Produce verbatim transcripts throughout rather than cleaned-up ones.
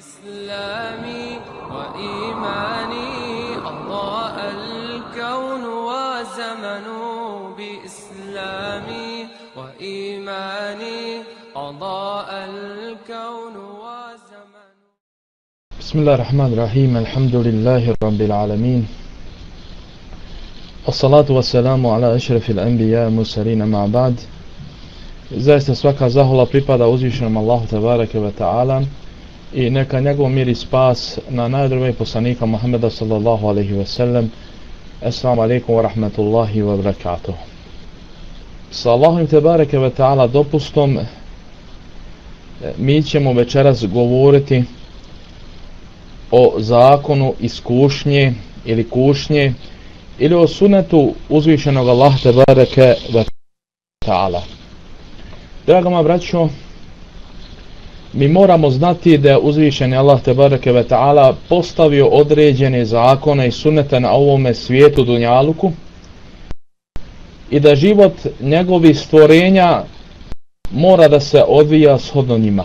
إسلامي وإيماني أضاء الكون وزمن بإسلامي وإيماني أضاء الكون وزمن. بسم الله الرحمن الرحيم. الحمد لله رب العالمين، الصلاة والسلام على أشرف الأنبياء المرسلين مع بعد. Zaista svaka zahvala pripada uzvišenom Allahu tebareke ve taala i neka njegov mir i spas na najdrugijeg poslanika Muhameda sallallahu alejhi ve sellem. Assalamu alejkum wa rahmatullahi wa barakatuh. Sa Allahom tebareke ve taala dopustom mi ćemo večeras govoriti o zakonu iskušnje ili kušnje ili o sunetu uzvišenog Allaha tebareke ve taala. Draga moja braćo, mi moramo znati da je uzvišeni Allah tebareke ve taala postavio određene zakone i sunete na ovome svijetu dunjaluku i da život njegovih stvorenja mora da se odvija shodno njima.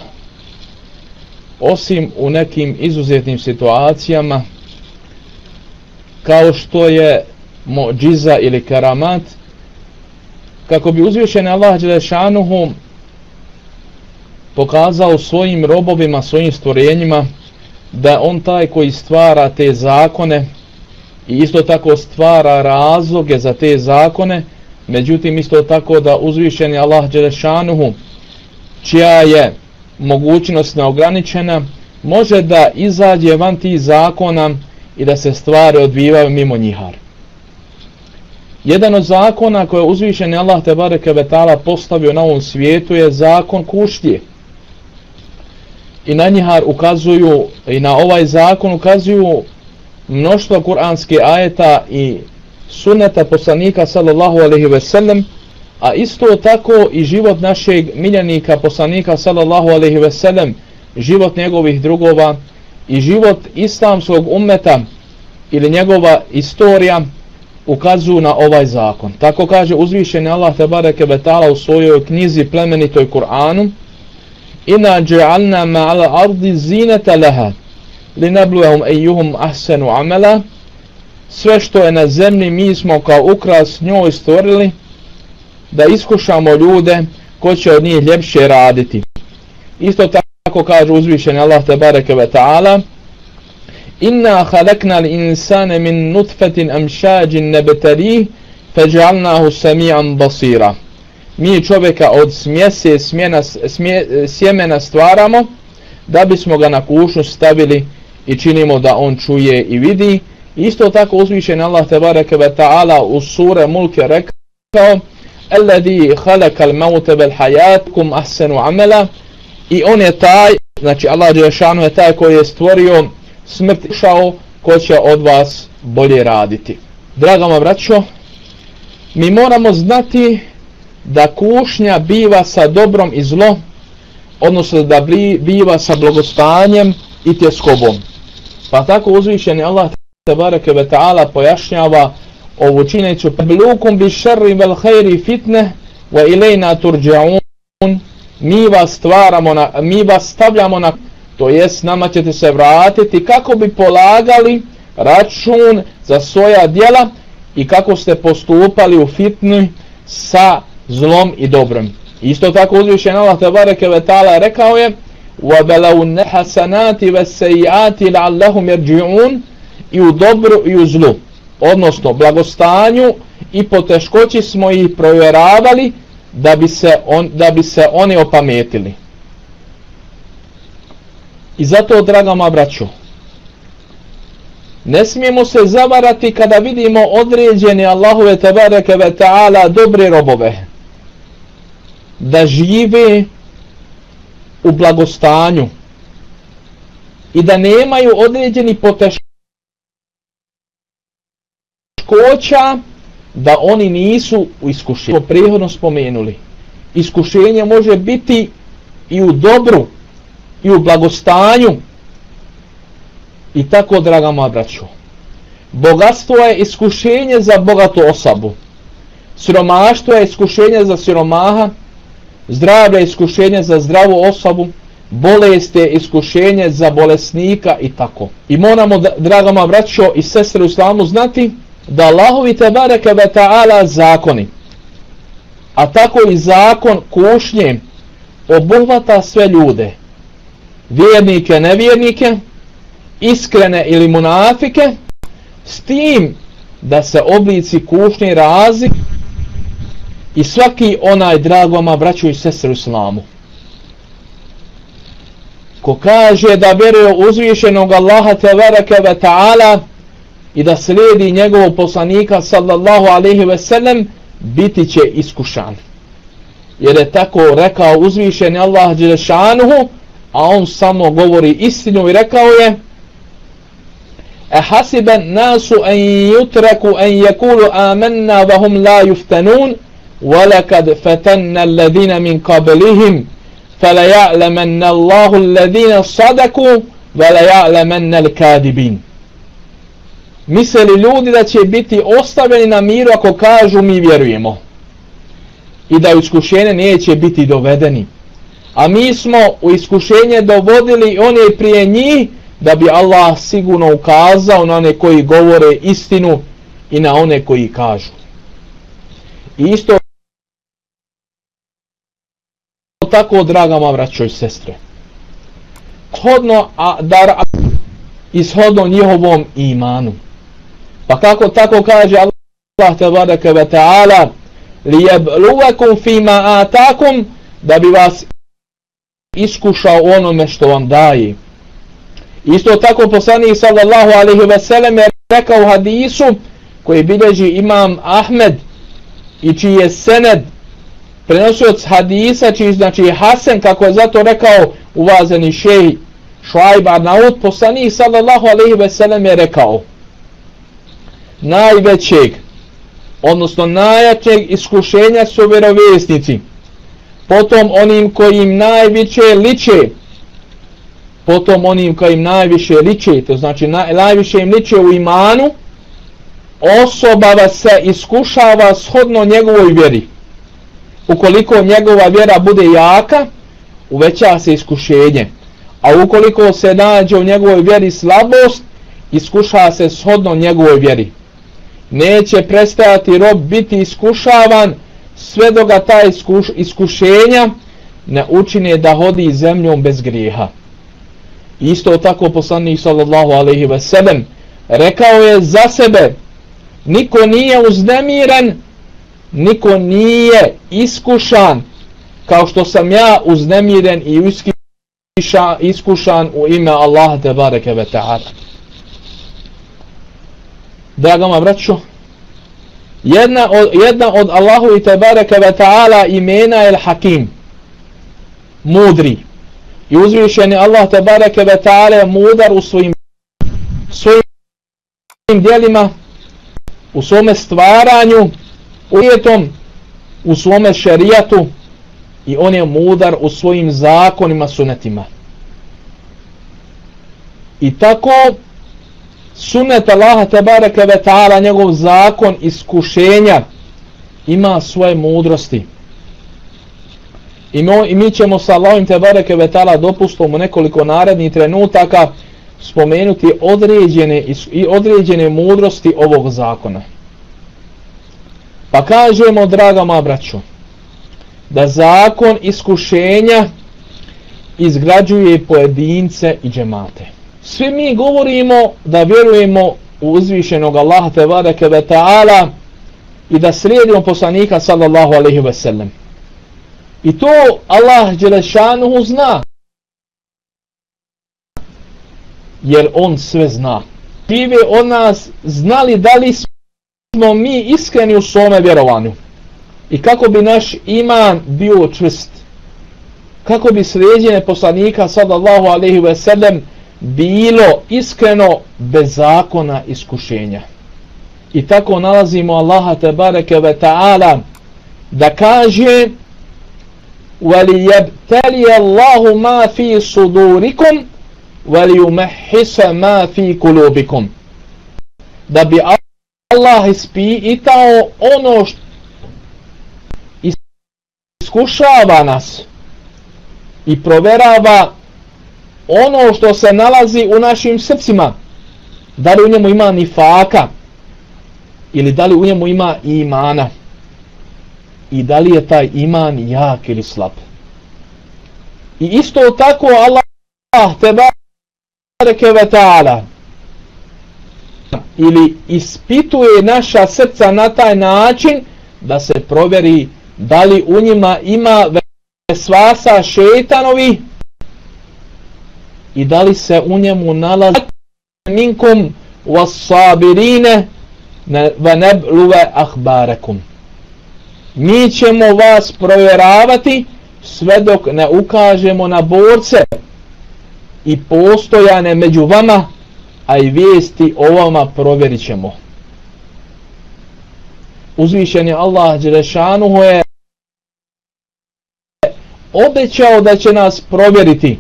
Osim u nekim izuzetnim situacijama kao što je mu'džiza ili karamat, kako bi uzvišeni Allah dželešanuhu pokazao svojim robovima, svojim stvorenjima da on taj koji stvara te zakone i isto tako stvara razloge za te zakone, međutim isto tako da uzvišeni Allah dželešanuhu, čija je mogućnost neograničena, može da izađe van tih zakona i da se stvari odvijaju mimo njihar. Jedan od zakona koje je uzvišeni Allah tebareke ve taala postavio na ovom svijetu je zakon kušnje. I na njihar ukazuju, i na ovaj zakon ukazuju mnoštvo kuranske ajeta i suneta poslanika sallallahu alejhi ve sellem, a isto tako i život našeg miljenika poslanika sallallahu alejhi ve sellem, život njegovih drugova i život islamskog ummeta ili njegova istorija ukazuju na ovaj zakon. Tako kaže uzvišeni Allah tebareke ve taala u svojoj knjizi plemenitoj Kur'anu: Inna ja'alna ma'al ardi zinata laha linabluwahum ayyuhum ahsanu amala. Sve što je na zemlji mi smo kao ukras njoj stvorili da iskušamo ljude ko će od njih ljepše raditi. Isto tako kaže uzvišeni Allah tebareke ve taala: Inna khalaqnal insana min nutfatin amshajin nabtalih faj'alnahu sami'an basira. Mi čovjeka od smjese smjena, smje, sjemena stvaramo da bismo ga na kušnju stavili i činimo da on čuje i vidi. Isto tako uzvišen Allah tebareke ve taala u sure Mulk je rekao: Alladhi khalaqal mauta wal hayatakum ahsanu amala. I on je taj, znači Allah dželešanu je taj koji je stvorio smrt i šao ko će od vas bolje raditi. Draga moja braćo, mi moramo znati da kušnja biva sa dobrom i zlom, odnosno da biva sa blagostanjem i tjeskobom. Pa tako uzvišeni Allah tebareke ve taala pojašnjava ovu činjenicu: Blukum bi šerri vel hajri fitne wa ilejna turđa'un. Mi vas stvaramo, na, mi vas stavljamo na, to jest nama ćete se vratiti kako bi polagali račun za svoja djela i kako ste postupali u fitni sa zlom i dobrom. Isto tako uzvišen Allah tebareke ve taala rekao je: وَبَلَوْنَ حَسَنَاتِ وَسَيِّئَاتِ لَعَلَّهُمْ يَرْجِعُونَ. I u dobru i u zlu, odnosno blagostanju i poteškoći smo ih provjeravali da bi se, on, da bi se oni opametili. I zato, draga moja braćo, ne smijemo se zavarati kada vidimo određene Allahove tebareke ve taala dobre robove da žive u blagostanju i da nemaju određeni poteškoća, da oni nisu u iskušenju. Prethodno spomenuli, iskušenje može biti i u dobru i u blagostanju. I tako, draga moja braćo, bogatstvo je iskušenje za bogatu osobu, siromaštvo je iskušenje za siromaha, zdravlje je iskušenje za zdravu osobu, bolesti, iskušenje za bolesnika i tako. I moramo, draga moja braćo i sestre u islamu, znati da Allahovi tebareke ve ta'ala zakoni, a tako i zakon kušnje, obuhvata sve ljude, vjernike, nevjernike, iskrene ili munafike, s tim da se oblici kušnje razlik i svaki onaj, dragoma braćo i sestre u islamu, ko kaže da vjeruje uzvišenog Allaha tebareke ve ta'ala i da slijedi njegovog poslanika sallallahu alejhi ve sellem, biti će iskušan. Jer je tako rekao uzvišeni Allah dželle šanuhu, a on samo govori istinu i rekao je: "Ahasiba an-nasu an yutraku an yaqulu amanna wa hum la yuftanun, wa laqad fatanna alladhina min qablihim, fala ya'lamanna Allahu alladhina sadaku wa la ya'lamanna al-kadibin." Misle ljudi da će biti ostavljeni na miru ako kažu mi vjerujemo i da u iskušenje neće biti dovedeni. A mi smo u iskušenje dovodili one prije njih da bi Allah sigurno ukazao na one koji govore istinu i na one koji kažu. I isto tako, draga moja braćo i sestre, shodno da ishodno njihovom imanu. Pa kako tako kaže Allah tebareke ve ta'ala: "Liyabluwakum fima atakum", da bi vas iskušao onome što vam daje. Isto tako poslanik sallallahu alejhi ve sellem je rekao u hadisu koji bilježi imam Ahmed i čiji je sened prenosioc hadisa, čiji znači Hasan, kako je zato rekao uvaženi šejh Šuajb Arnaut, poslanik sallallahu alejhi ve sellem je rekao: najvećeg, odnosno najjačeg iskušenja su vjerovjesnici, potom onim kojim najviše liče, potom onim kojim najviše liče, to znači naj, najviše im liče u imanu, osoba se iskušava shodno njegovoj vjeri. Ukoliko njegova vjera bude jaka, uveća se iskušenje, a ukoliko se nađe u njegovoj vjeri slabost, iskuša se shodno njegovoj vjeri. Neće prestajati rob biti iskušavan sve dok ga ta iskuš, iskušenja ne učine da hodi zemljom bez grijeha. Isto tako poslanik sallallahu alejhi ve sellem rekao je za sebe: niko nije uznemiren, niko nije iskušan kao što sam ja uznemiren i iskiša, iskušan u ime Allaha tebareke ve ta'ala. Draga moja braćo, jedna od, jedna od Allahu tebareke ve ta'ala imena je Hakim, mudri. I uzvišeni Allah tebareke ve ta'ala je mudar u svojim, svojim djelima, u svome stvaranju, ujetom, u svome šerijatu, i on je mudar u svojim zakonima, sunetima. I tako sunet Allaha tebareke ve ta'ala, njegov zakon iskušenja, ima svoje mudrosti. I mi, i mi ćemo sa Allahom tebareke ve ta'ala dopustom u nekoliko narednih trenutaka spomenuti određene, i određene mudrosti ovog zakona. Pa kažemo, draga moja braćo, da zakon iskušenja izgrađuje pojedince i džemate. Svi mi govorimo da vjerujemo u uzvišenog Allaha tebareke ve ta'ala i da slijedimo poslanika sallallahu alejhi ve sellem. I to Allah dželle šanuhu zna, jer on sve zna. Žive od nas znali da li smo mi iskreni u svome vjerovanju i kako bi naš iman bio čvrst, kako bi slijedjenje poslanika sallallahu alejhi ve sellem bilo iskreno bez zakona iskušenja. I tako nalazimo Allaha tebareke ve ta'ala da kaže: وَلِيَبْتَلِيَ اللَّهُ مَا فِي صُدُورِكُمْ وَلِيُمَحِّسَ مَا فِي قُلُوبِكُمْ, da bi Allah ispitao ono što iskušava nas i proverava ono što se nalazi u našim srcima, da li u njemu ima nifaka ili da li u njemu ima imana i da li je taj iman jak ili slab. I isto tako Allah tebareke ve taala ili ispituje naša srca na taj način da se provjeri da li u njima ima vesvasa šejtanovi i da li se u njemu nalazi minkum was-sabirine wa nabluwa akhbarakum. Mi ćemo vas provjeravati sve dok ne ukažemo na borce i postojane među vama, a i vijesti o vama provjerit ćemo. Uzvišeni Allah dželešanuhu je obećao da će nas provjeriti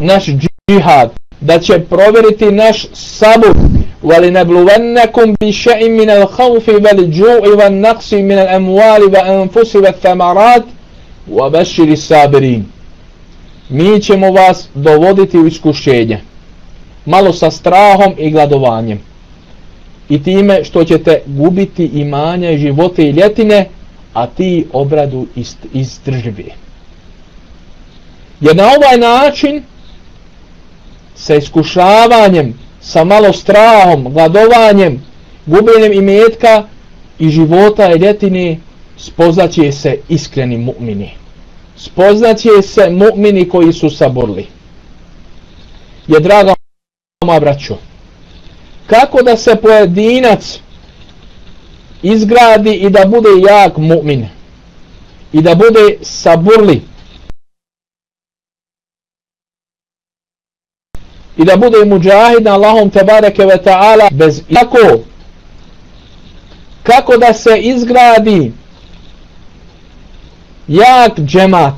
naš džihad, da će provjeriti naš sabur. وَلِنَبْلُوَنَّكُمْ بِشَيْءٍ مِنَ الْخَوْفِ وَالْجُوعِ وَالنَّقْصِ مِنَ الْأَمْوَالِ وَأَنفُسِ وَالثَّمَرَاتِ وَبَشِّرِ الصَّابِرِينَ. Mi ćemo vas dovoditi u iskušenje, malo sa strahom i gladovanjem, i time što ćete gubiti imanja i živote i ljetine, a ti obradu izdrživi. Jer na ovaj način, sa iskušavanjem, sa malo strahom, gladovanjem, gubljenjem imetka i života i ljetine, spoznaće se iskreni mu'mini. Spoznaće se mu'mini koji su saburli. Je, draga moja braćo, kako da se pojedinac izgradi i da bude jak mu'min i da bude saburli i da bude muđahid na Allahom tebareke ve ta'ala bez kako kako da se izgradi jak džemat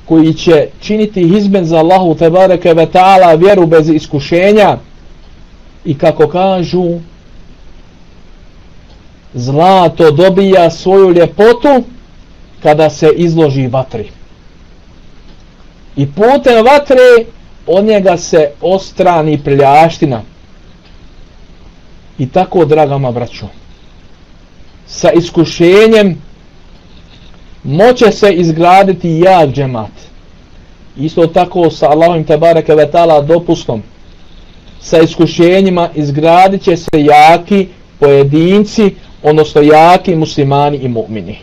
koji će činiti hizben za Allahu tebareke ve ta'ala, vjeru bez iskušenja, i kako kažu, zlato dobija svoju ljepotu kada se izloži vatri. I putem vatre od njega se ostrani prljaština. I tako, dragama braćo, sa iskušenjem moće se izgraditi jak džemat. Isto tako sa Allahom tebareke ve ta'ala dopustom, sa iskušenjima izgradit će se jaki pojedinci, odnosno jaki muslimani i mu'mini.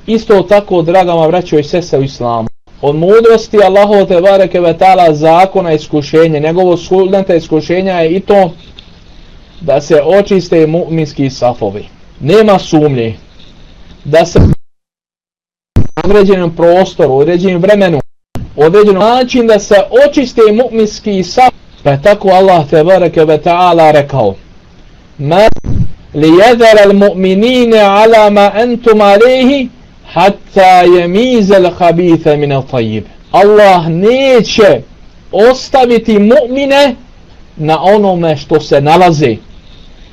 Isto tako, dragama braćo i sestre u islamu, od mudrosti Allahov tebareke ve ta'ala zakona iskušenja, njegovo sunneta iskušenja je i to da se očiste mu'minski safovi. Nema sumnje da se u određenom prostoru, u određenom vremenu, u određenom način da se očiste mu'minski safovi. Pa je tako Allah tebareke ve ta'ala rekao: Ma liyadhara al-mu'minina ala ma antum alayhi hatta yamiza al-khabitha min at-tayyib. Allah neće ostaviti mu'mine na onome što se nalazi,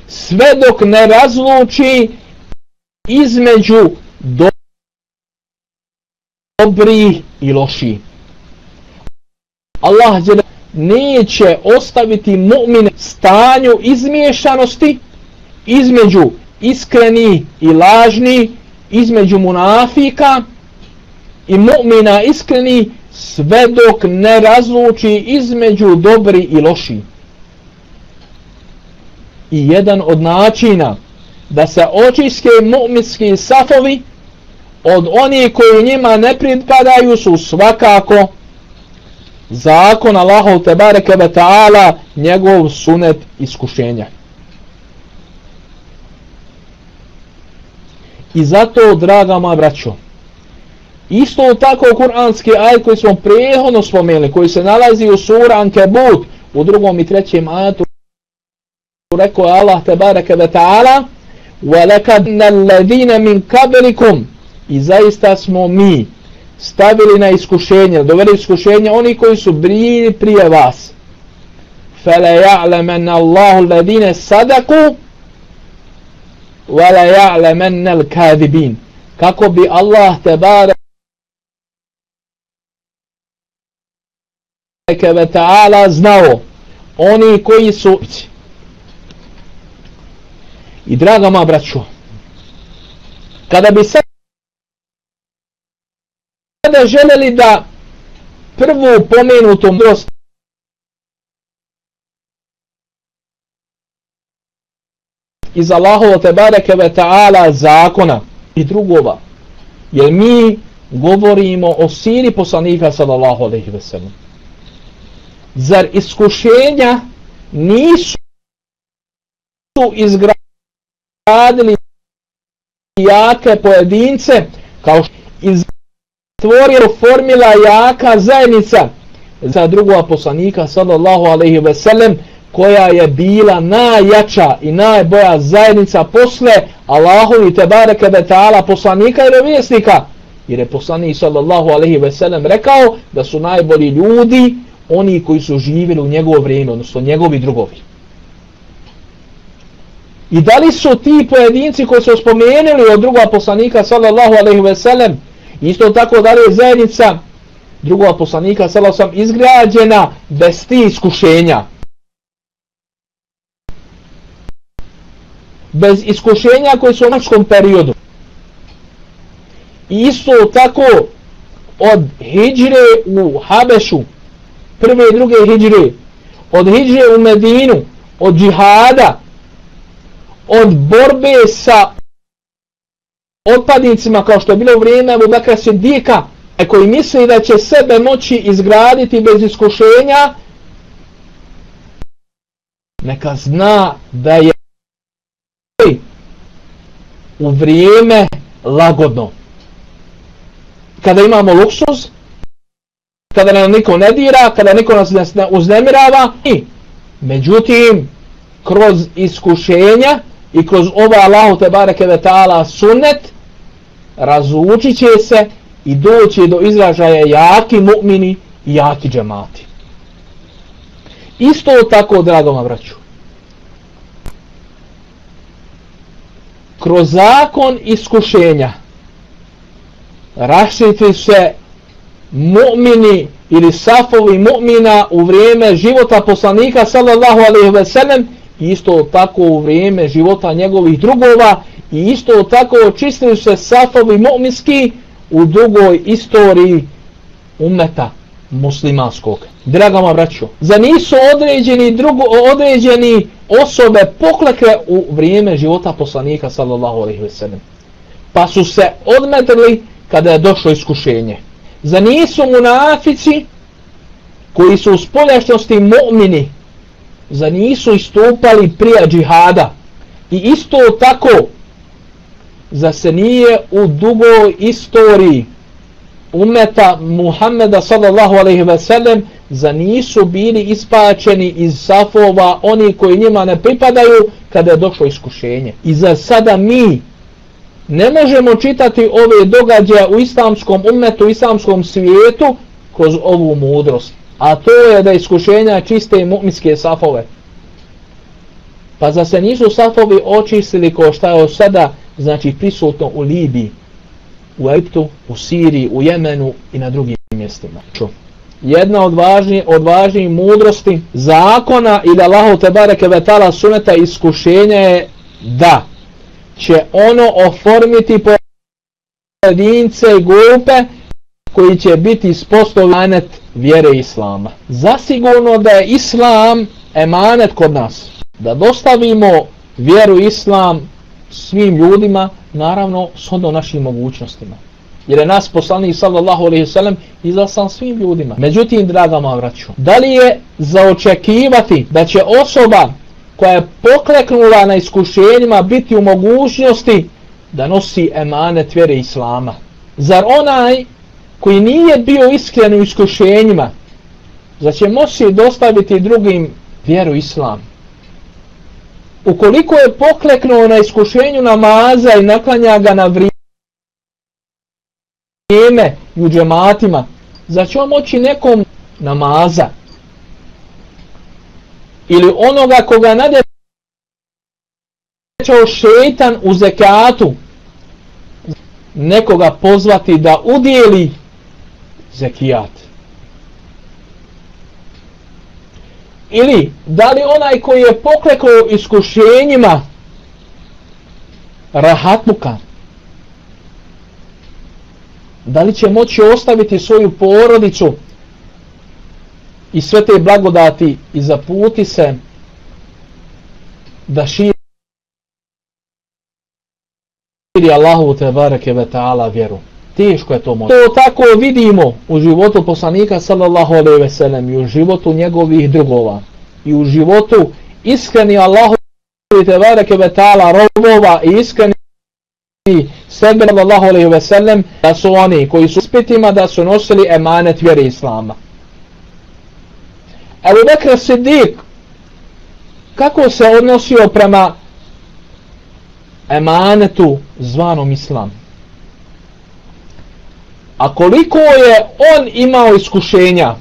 sve dok ne razluči između dobri i loši. Allah neće ostaviti mu'mine stanju izmiješanosti između iskreni i lažni, između munafika i mu'mina iskreni, sve dok ne razluči između dobri i loši. I jedan od načina da se očiste mu'minski safovi od onih koji njima ne pripadaju su svakako zakon Allahov tebareke ve ta'ala, njegov sunet iskušenja. I zato, draga moja braćo, isto tako kuranski ajet koji smo prethodno spomenuli, koji se nalazi u suri Ankebut u drugom i trećem ajetu, rekao je Allah tebareke ve ta'ala: وَلَكَدْنَ الَّذِينَ مِنْ قَبْلِكُمْ, i zaista smo mi stavili na iskušenje, doveli iskušenje oni koji su bili prije vas. فَلَا يَعْلَمَنَّ اللَّهُ الَّذِينَ صَدَقُوا وَلَا يَعْلَمَنَّ الْكَاذِبِينَ. Kako bi Allah tebareke ve ta'ala znao oni koji su. I draga moja braćo, kada bi sada željeli da prvu pomenutu mudrost iz Allahovo tebareke ve ta'ala zakona i drugova, jer mi govorimo o siri poslanika sallallahu alejhi ve sellem. Zar iskušenja nisu izgradili jake pojedince kao što iztvorilo formila jaka zajednica za drugova poslanika sallallahu alejhi ve sellem, koja je bila najjača i najbolja zajednica posle Allahovi tebareke ve ta'ala poslanika i vjerovjesnika, jer je poslanik sallallahu alejhi ve sellem rekao da su najbolji ljudi oni koji su živjeli u njegovo vrijeme, odnosno njegovi drugovi. I da li su ti pojedinci koji su spomenuli od drugova poslanika sallallahu alejhi ve sellem, isto tako da li je zajednica drugova poslanika sallallahu alejhi ve sellem izgrađena bez tih iskušenja? Bez iskušenja koji su u naškom periodu. I isto tako od hidžre u Habešu, prve i druge hidžre, od hidžre u Medinu, od džihada, od borbe sa otpadnicima kao što je bilo u vrijeme Abu Bekra Sidika, koji misli da će sebe moći izgraditi bez iskušenja, neka zna da je u vrijeme lagodno. Kada imamo luksuz, kada nam niko ne dira, kada niko nas ne uznemirava, i međutim kroz iskušenja i kroz ovaj Allahu tebareke ve ta'ala sunnet razlučit će se i doći do izražaja jaki mu'mini i jaki džemati. Isto tako, dragoma braću, kroz zakon iskušenja raščiti se mu'mini ili safovi mu'mina u vrijeme života poslanika sallallahu alejhi ve sellem, isto tako u vrijeme života njegovih drugova, i isto tako očistili se safovi mu'minski u drugoj istoriji ummeta muslimanskog. Draga moja braćo, za nisu određeni drugo određeni osobe poklekle u vrijeme života poslanika sallallahu alejhi ve sellem, pa su se odmetili kada je došlo iskušenje. Za nisu munafici koji su u spoljašnosti mu'mini, za nisu istupali prije džihada, i isto tako za se nije u dugoj istoriji ummeta Muhammeda sallallahu alejhi ve sellem za nisu bili ispačeni iz safova oni koji njima ne pripadaju kada je došlo iskušenje. I za sada mi ne možemo čitati ove događaje u islamskom ummetu, u islamskom svijetu kroz ovu mudrost, a to je da iskušenja čiste i mu'minske safove. Pa za se nisu safovi očistili kao šta je sada znači prisutno u Libiji, u Egiptu, u Siriji, u Jemenu i na drugim mjestima. Jedna od važnijih od važnijih mudrosti zakona ili Allahu tebareke ve ta'ala suneta iskušenja je da će ono oformiti pojedince i grupe koji će biti ispostavljeni emanet vjere Islama. Zasigurno da je Islam emanet kod nas, da dostavimo vjeru Islam svim ljudima, naravno shodno našim mogućnostima. Jer je nas poslanik sallallahu alejhi ve sellem izaslan svim ljudima. Međutim, draga moja braćo, da li je za očekivati da će osoba koja je pokleknula na iskušenjima biti u mogućnosti da nosi emanet vjere Islama? Zar onaj koji nije bio iskren u iskušenjima, zar će moći dostaviti drugim vjeru Islam? Ukoliko je pokleknuo na iskušenju namaza i naklanja ga na vrijeme i u džematima, zar će on moći nekom namaza ili onoga koga nadjećao šeitan u zekatu nekoga pozvati da udijeli zekijat? ili da li onaj koji je poklekao iskušenjima rahatluka, da li će moći ostaviti svoju porodicu i sve te blagodati i zaputi se da širi Allahu te bareke ve taala vjeru. Teško je to moći. To tako vidimo u životu poslanika sallallahu alejhi ve sellem i u životu njegovih drugova i u životu iskreni Allahu te bareke ve taala robova i iskreni sebe sallallahu alejhi ve sellem, da su oni koji su ispitima da su nosili emanet vjere islama. Ebu Bekr Siddiq kako se odnosio prema emanetu zvanom islam? A koliko je on imao iskušenja?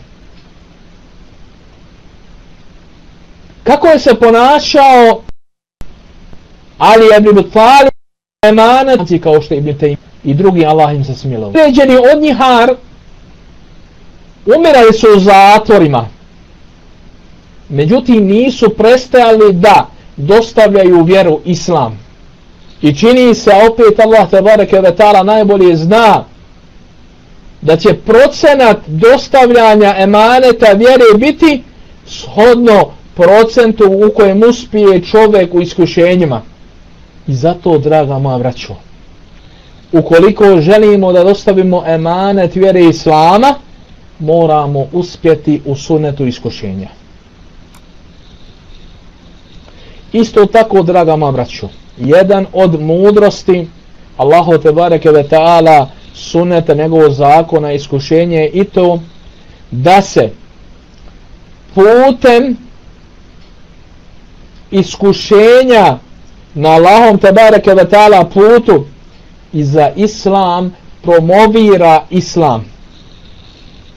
Kako je se ponašao Ali ibn Abi Talib emanet, kao što je Ibn Tejmije i drugi, Allah im se smilao. Određeni od njihar umirali su u zatvorima. Međutim, nisu prestajali da dostavljaju vjeru islam. I čini se, opet Allah tebareke ve taala najbolje zna da će procenat dostavljanja emaneta vjere biti shodno procentu u kojem uspije čovjek u iskušenjima. I zato, draga moja braćo, ukoliko želimo da dostavimo emanet vjere islama, moramo uspjeti u sunnetu iskušenja. Isto tako, draga moja braćo, jedan od mudrosti Allahu tebareke ve taala sunneta, njegovog zakona, iskušenje je i to da se putem iskušenja na Allahom tebareke ve taala putu i za islam promovira islam.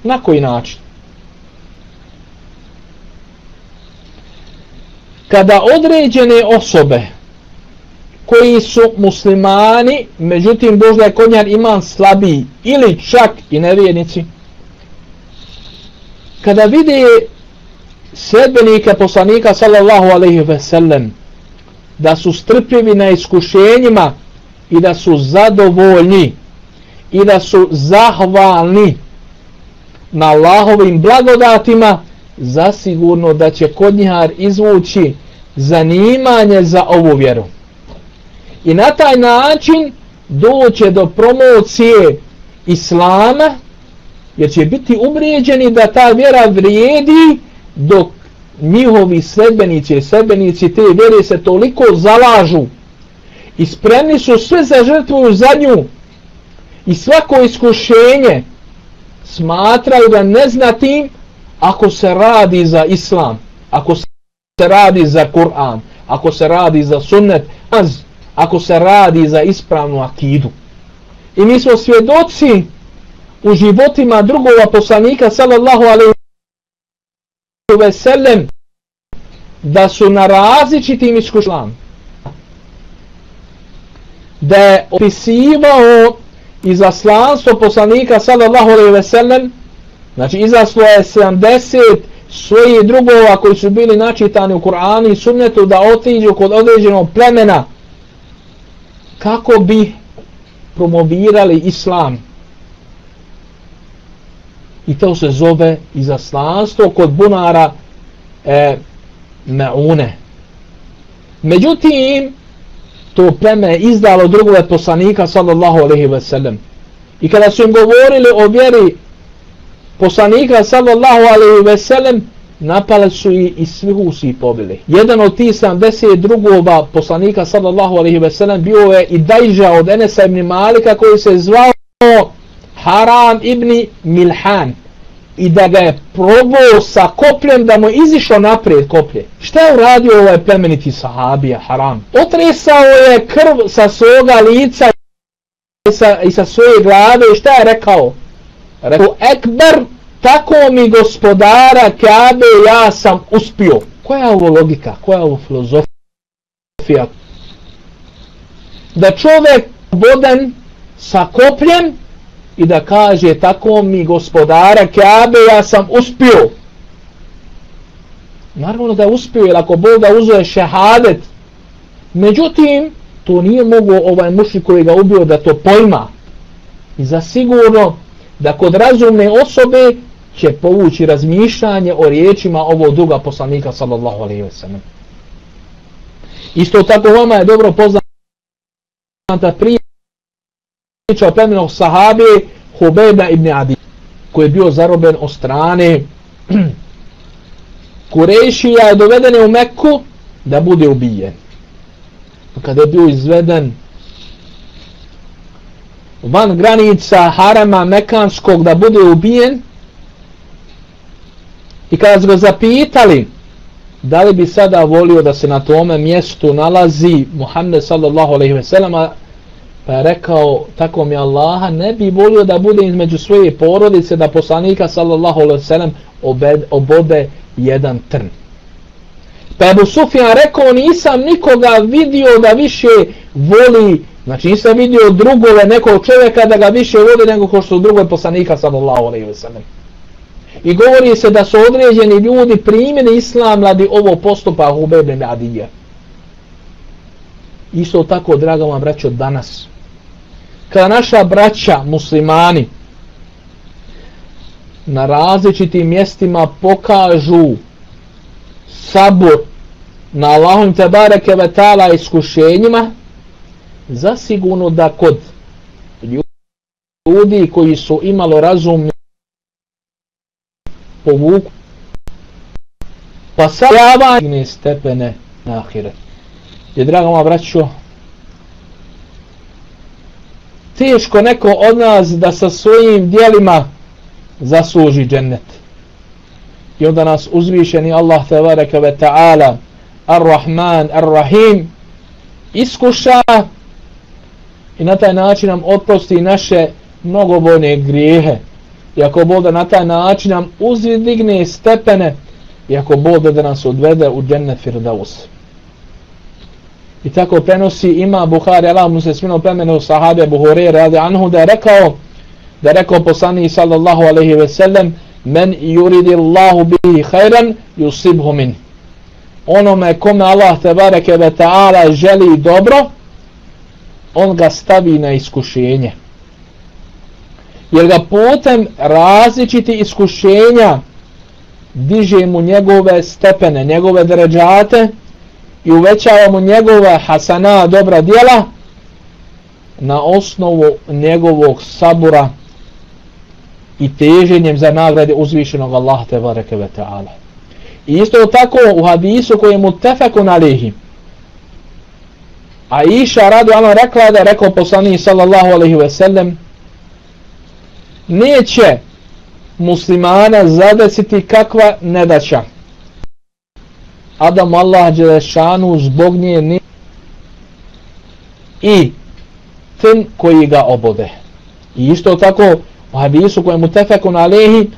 Na koji način? Kada određene osobe koji su muslimani, međutim možda je kod njih iman slabiji ili čak i nevjernici, kada vide sledbenike poslanika sallallahu alejhi ve sellem da su strpljivi na iskušenjima i da su zadovoljni i da su zahvalni na Allahovim blagodatima, zasigurno da će kod njih izvući zanimanje za ovu vjeru. I na taj način doće do promocije islama, jer će biti ubređeni da ta vjera vrijedi, dok njihovi sledbenici i sledbenici te vjere se toliko zalažu i spremni su sve za žrtvuju za nju i svako iskušenje smatraju da neznatim ako se radi za islam, ako se radi za Kur'an, ako se radi za sunnet, ako se radi za ispravnu akidu. I mi smo svjedoci u životima drugova poslanika sallallahu alejhi ve sellem da su na različitim iskušenjima, da je opisivao izaslanstvo poslanika sallallahu alejhi ve sellem, znači izaslo je sedamdeset svojih drugova koji su bili načitani u Kur'anu i sunnetu da otiđu kod određenog plemena kako bi promovirali islam. I to se zove izaslanstvo kod bunara e, Meune. Međutim, to pleme je izdalo drugove poslanika sallallahu alejhi ve sellem. I kada su im govorili o vjeri poslanika sallallahu alejhi ve sellem, napali su i, i svihu su ih pobili. Jedan od tih sedamdeset drugova poslanika sallallahu alejhi ve sellem bio je i Dajža od Enesa ibn Malika koji se zvao Haram ibn Milhan, i da ga je probao sa kopljem, da mu izišao naprijed koplje. Šta je uradio ovaj plemeniti sahabija Haram? Otresao je krv sa svoga lica i sa, i sa svoje glave. I šta je rekao? Rekao, Ekber, tako mi gospodara Kabe, ja sam uspio. Koja je ovo logika? Koja je ovo filozofija? Da čovjek bodan sa kopljem i da kaže, tako mi gospodara Kabe, ja sam uspio. naravno da je uspio, jer ako Bog da uzeo šehadet, međutim, to nije mogo ovaj mušrik koji ga ubio da to pojma. I zasigurno da kod razumne osobe će povući razmišljanje o riječima ovog druga poslanika sallallahu alejhi ve sellem. Isto tako vama je dobro poznata priča o plemenog sahabe Hubejba ibn Adi, koji je bio zarobljen od strane Kurejšija, je doveden u Meku da bude ubijen. Kada je bio izveden van granica harama mekanskog da bude ubijen, i kada su ga zapitali da li bi sada volio da se na tome mjestu nalazi Muhammed sallallahu alejhi ve sellem, pa je rekao, tako mi Allaha, ne bi volio da bude između svoje porodice, da poslanika sallallahu alejhi ve sellem obode jedan trn. Pa je Ebu Sufjan rekao, nisam nikoga vidio da više voli, znači nisam vidio drugove nekog čovjeka da ga više voli nego ko što drugove poslanika sallallahu alejhi ve sellem. I govori se da su određeni ljudi primili islam radi ovo postupa Hubejba ibn Adija. Isto tako, draga moja braćo, danas, kada naša braća muslimani na različitim mjestima pokažu sabur na Allahom te bareke ve taala iskušenjima, zasigurno da kod ljudi koji su imalo razumni povuku pa savjavanje stepene na ahiret. I draga moja braćo, teško neko od nas da sa svojim djelima zasluži džennet. I onda nas uzvišeni Allah tebareke ve ta'ala Ar-Rahman, Ar-Rahim iskuša i na taj način nam oprosti naše mnogobrojne grijehe. I ako Bog da na taj način nam uzdigne stepene, i ako Bog da nas odvede u džennet Firdaus. I tako prenosi ima Buhari, Allah mu se smino premenu sahabe Abu Hurajre radi anhu, da je rekao, da je rekao poslanik sallallahu alejhi ve sellem, men yuridillahu bihi khairan yusibhu min. Onome kome Allah tebareke ve taala želi dobro, on ga stavi na iskušenje. Jer ga putem različiti iskušenja diže mu njegove stepene, njegove deređate i uvećava mu njegove hasana, dobra djela, na osnovu njegovog sabura i teženjem za nagrade uzvišenog Allaha tebareke ve taala. I isto tako u hadisu koji je muttefekun alejhi, Aisha radi Allah rekla, da je rekao poslanik sallallahu alejhi ve sellem, neće muslimana zadesiti kakva nedaća, a da mu Allah dželešanu zbog nje ne i ten koji ga obode. I isto tako u hadisu koji je mutefekun alejhi,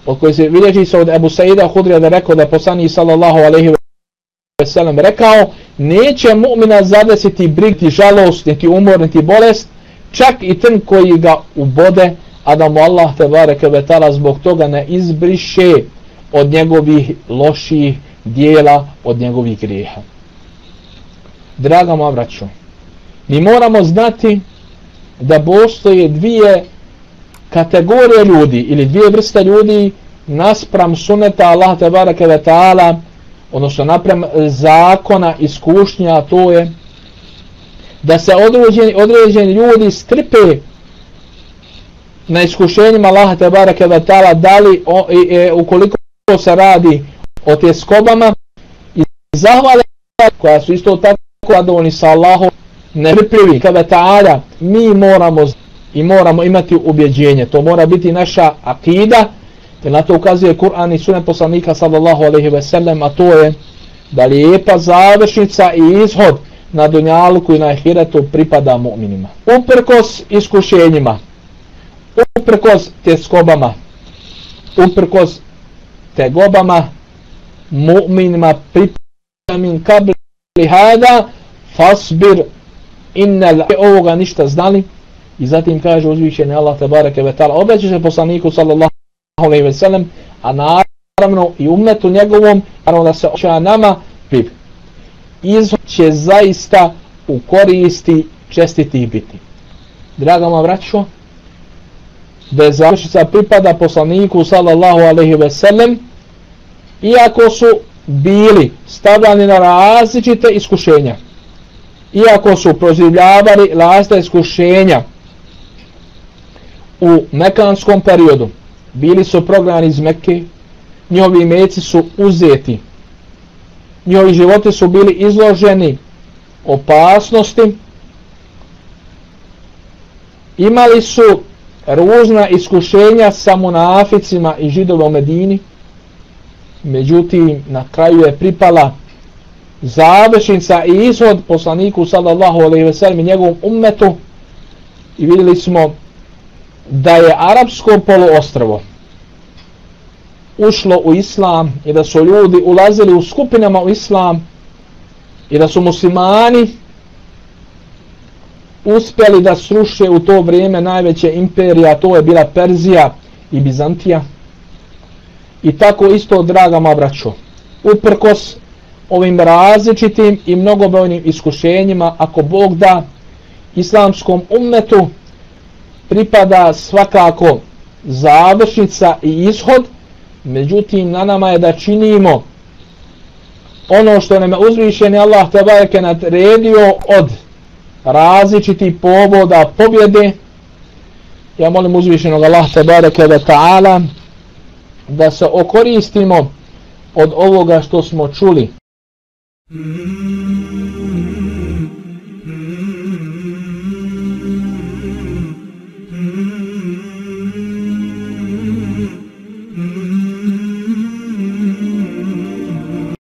od koji se bilježi se od Ebu Saida Hudrija, da rekao da je poslanik sallallahu alejhi ve sellem rekao, neće mu'mina zadesiti brigti žalost, niti umor, niti bolest, čak i ten koji ga ubode, a da mu Allah tebareke ve taala zbog toga ne izbriše od njegovih loših dijela, od njegovih grijeha. Draga moja braćo, mi moramo znati da postoje dvije kategorije ljudi ili dvije vrste ljudi naspram suneta Allah tebareke ve taala, odnosno naprem zakona iskušnja, to je da se određeni, određeni ljudi strpe na iskušenjima Allaha tebareke ve taala, da li o, e, e, ukoliko se radi o tjeskobama, i zahvale koja su isto tako zadovoljni sa Allahom, netrpljivi ve taala, mi moramo i moramo imati ubjeđenje, to mora biti naša akida, jer na to ukazuje Kur'an i sunnet poslanika sallallahu alejhi ve sellem, a to je da lijepa završnica i ishod na dunjaluku i na ahiretu pripada mu'minima. Uprkos iskušenjima, uprkos tjeskobama, uprkos tegobama, mu'minima pripada min kabli hada fasbir innal, ovoga ništa znali. I zatim kaže uzvišeni Allah tebareke ve taala, obeća se poslaniku sallallahu alejhi ve sellem, a naravno i ummetu njegovom, naravno da se oča nama priv. Izhod će zaista u koristi čestitih biti. Draga moja braćo, da je završnica pripada poslaniku sallallahu alejhi ve sellem, iako su bili stavljani na različite iskušenja, iako su proživljavali različita iskušenja u mekanskom periodu, bili su prognani iz Mekke, njihovi meci su uzeti, njihovi životi su bili izloženi opasnosti, imali su ružna iskušenja sa munaficima i Židova u Medini, međutim na kraju je pripala završnica i ishod poslaniku sallallahu alejhi ve sellem i njegovom ummetu i vidjeli smo da je arapsko poluostrvo ušlo u islam i da su ljudi ulazili u skupinama u islam i da su muslimani uspjeli da sruše u to vrijeme najveće imperije, a to je bila Perzija i Bizantija. I tako isto, draga moja braćo, uprkos ovim različitim i mnogobrojnim iskušenjima, ako Bog da, islamskom ummetu pripada svakako završnica i ishod, međutim na nama je da činimo ono što nam je uzvišeni Allah tebareke naredio od različitih povoda pobjede. Ja molim uzvišenog Allah tebareke ve ta'ala da se okoristimo od ovoga što smo čuli. Mm-hmm.